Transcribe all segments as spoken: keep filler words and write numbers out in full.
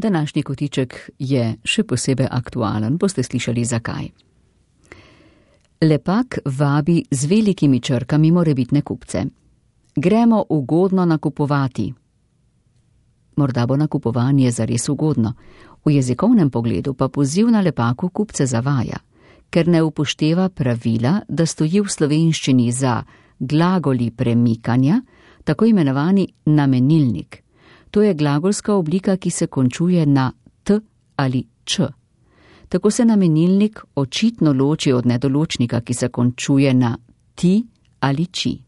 Današnji kotiček je še posebej aktualen, boste slišali zakaj. Lepak vabi z velikimi črkami morebitne kupce. Gremo ugodno nakupovati. Morda bo nakupovanje zares ugodno, v jezikovnem pogledu pa poziv na lepaku kupce zavaja, ker ne upošteva pravila, da stoji v slovenščini za glagoli premikanja, tako imenovani namenilnik. To je glagolska oblika, ki se končuje na t ali č. Tako se namenilnik očitno loči od nedoločnika, ki se končuje na ti ali či.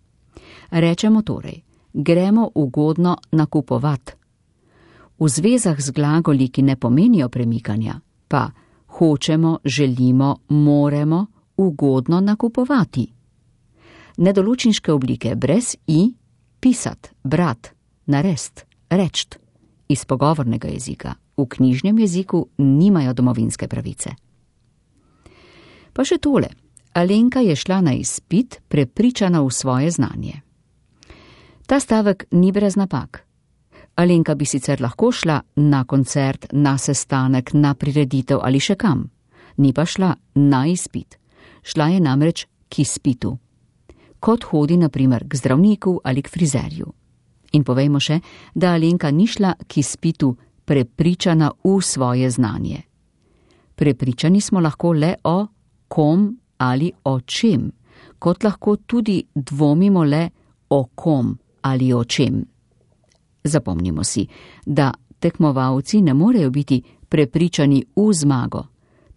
Rečemo torej, gremo ugodno nakupovat. V zvezah z glagoli, ki ne pomenijo premikanja, pa hočemo, želimo, moremo ugodno nakupovati. Nedoločniške oblike brez i, pisat, brat, narest, rečt, iz pogovornega jezika, v knjižnem jeziku nimajo domovinske pravice. Pa še tole, Alenka je šla na izpit, prepričana v svoje znanje. Ta stavek ni brez napak. Alenka bi sicer lahko šla na koncert, na sestanek, na prireditev ali še kam. Ni pa šla na izpit. Šla je namreč k izpitu. Kot hodi na primer k zdravniku ali k frizerju. In povejmo še, da Alenka ni šla k izpitu prepričana v svoje znanje. Prepričani smo lahko le o kom ali o čem, kot lahko tudi dvomimo le o kom ali o čem. Zapomnimo si, da tekmovalci ne morejo biti prepričani v zmago,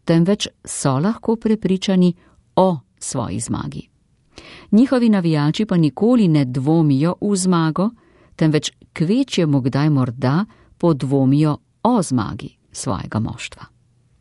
temveč so lahko prepričani o svoji zmagi. Njihovi navijači pa nikoli ne dvomijo v zmago, temveč kvečjemu kdaj morda podvomijo o zmagi svojega moštva.